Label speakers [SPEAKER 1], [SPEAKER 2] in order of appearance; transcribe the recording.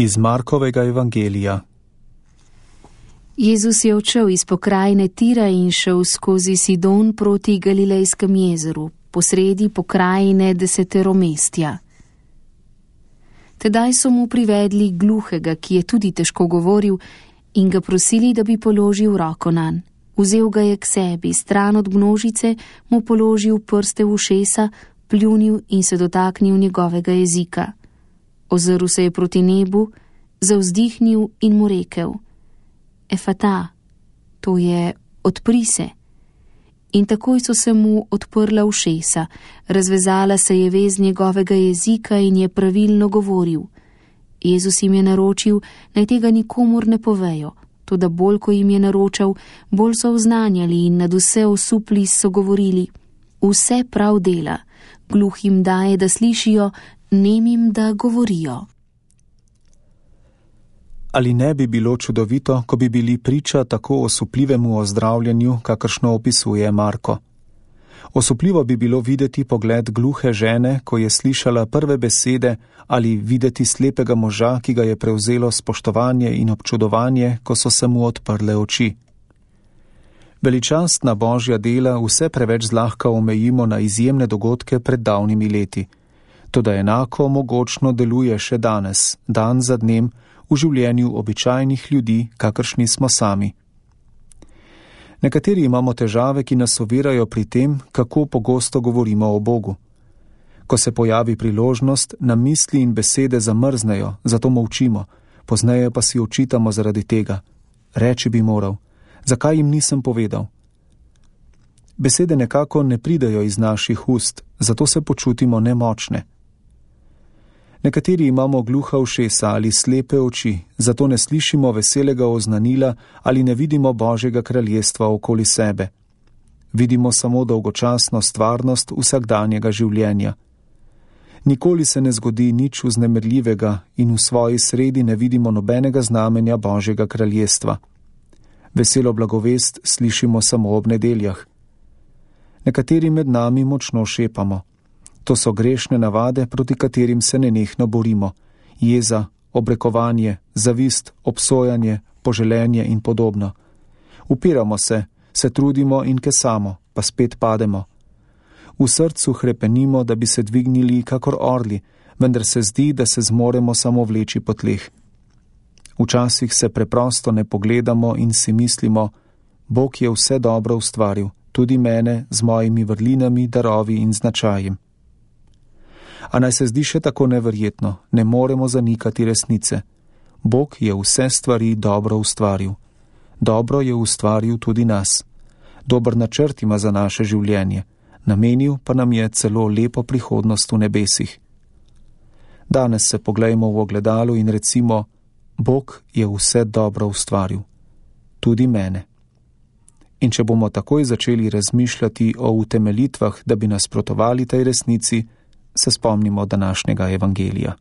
[SPEAKER 1] Iz Markovega evangelija.
[SPEAKER 2] Jezus je odšel iz pokrajine Tira in šel skozi Sidon proti Galilejskem jezeru, posredi pokrajine Deseteromestja. Tedaj so mu privedli gluhega, ki je tudi težko govoril, in ga prosili, da bi položil roko nanj. Vzel ga je k sebi, stran od množice, mu položil prste v ušesa, pljunil in se dotaknil njegovega jezika. Ozrl se je proti nebu, zavzdihnil in mu rekel: Efata, to je odpri se. In takoj so se mu odprla ušesa, razvezala se je vez njegovega jezika in je pravilno govoril. Jezus jim je naročil, naj tega nikomur ne povejo, toda bolj, ko jim je naročal, bolj so oznanjali in nad vse osupli so govorili: Vse prav dela, gluhim daje, da slišijo, nemim, da govorijo.
[SPEAKER 1] Ali ne bi bilo čudovito, ko bi bili priča tako osupljivemu ozdravljanju, kakršno opisuje Marko? Osupljivo bi bilo videti pogled gluhe žene, ko je slišala prve besede, ali videti slepega moža, ki ga je prevzelo spoštovanje in občudovanje, ko so se mu odprle oči. Veličastna Božja dela vse preveč zlahka omejimo na izjemne dogodke pred davnimi leti. Toda enako mogočno deluje še danes, dan za dnem, v življenju običajnih ljudi, kakršni smo sami. Nekateri imamo težave, ki nas ovirajo pri tem, kako pogosto govorimo o Bogu. Ko se pojavi priložnost, nam misli in besede zamrznejo, zato molčimo, pozneje pa si očitamo zaradi tega. Reči bi moral, zakaj jim nisem povedal? Besede nekako ne pridejo iz naših ust, zato se počutimo nemočne. Nekateri imamo gluha ušesa ali slepe oči, zato ne slišimo veselega oznanila ali ne vidimo Božjega kraljestva okoli sebe. Vidimo samo dolgočasno stvarnost vsakdanjega življenja. Nikoli se ne zgodi nič vznemirljivega in v svoji sredi ne vidimo nobenega znamenja Božjega kraljestva. Veselo blagovest slišimo samo ob nedeljah. Nekateri med nami močno šepamo. To so grešne navade, proti katerim se nenehno borimo. Jeza, obrekovanje, zavist, obsojanje, poželenje in podobno. Upiramo se trudimo in kesamo, pa spet pademo. V srcu hrepenimo, da bi se dvignili kakor orli, vendar se zdi, da se zmoremo samo vleči po tleh. Včasih se preprosto ne pogledamo in si mislimo: Bog je vse dobro ustvaril, tudi mene z mojimi vrlinami, darovi in značajem. A naj se zdi še tako neverjetno, ne moremo zanikati resnice. Bog je vse stvari dobro ustvaril. Dobro je ustvaril tudi nas. Dober načrt ima za naše življenje, namenil pa nam je celo lepo prihodnost v nebesih. Danes se poglejmo v ogledalo in recimo: Bog je vse dobro ustvaril. Tudi mene. In če bomo takoj začeli razmišljati o utemeljitvah, da bi nasprotovali tej resnici, se spomnimo današnjega evangelija.